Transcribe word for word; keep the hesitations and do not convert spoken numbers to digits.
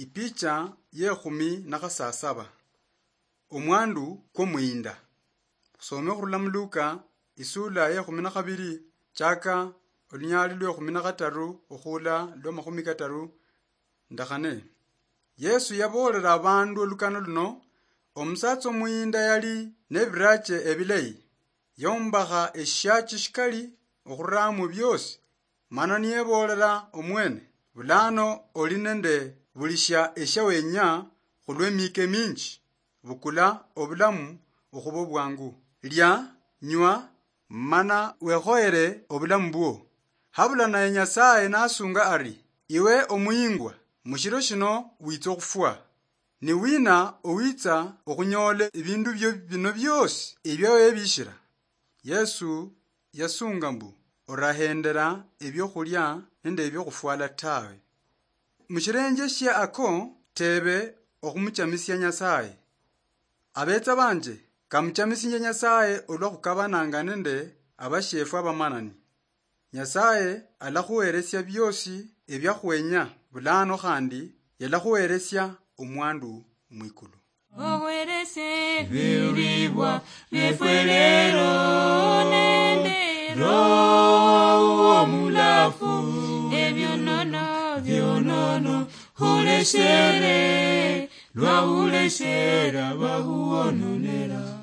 Ipicha yekhumi na khasasaba. Omwandu kwomuyinda. Khusome khurula mu Luka, isula yekhumi na khabiri, chaka olunyali lwekhumi na khataru okhula lwamakhumi kataru ndakhane. Yesu yaboolera abandu olukano luno: Omusatsa omuyinda yali nebirache ebilayi, yombakha eshiachi shikali okhuramo biosi, mana niyeboolera omwene: Bulano oli nende buli shia eshia wenya khulwemika eminji, bukula obulamu okhuba obwangu. Lia, nywa, mana wekhoyere obulamu bwo. Habula naye Nyasaye nasunga ari: Iwe omuyingwa, mushiro shino witsa okhufwa. Ni wina owitsa okhunyoola ebindu bio bino biosi ebia webishira? Yesu yasunga mbu: Orahendera ebiokhulia nende ebiokhufwala tawe. Mushirenje shia ako, tebe okhumuchamisia Nyasaye. Abetsa banje, kamuchamisinje Nyasaye olwa khukabananga nende abashefu abamanani. Nyasaye alakhuheresia biosi ebiakhwenya, bulano khandi yalakhuheresia omwandu mwikulu. Oweresie ebiribwa biefwe lero nende Roho Omulafu, ebionono bionono khuleshere, lwa khuleshera bakhuononera.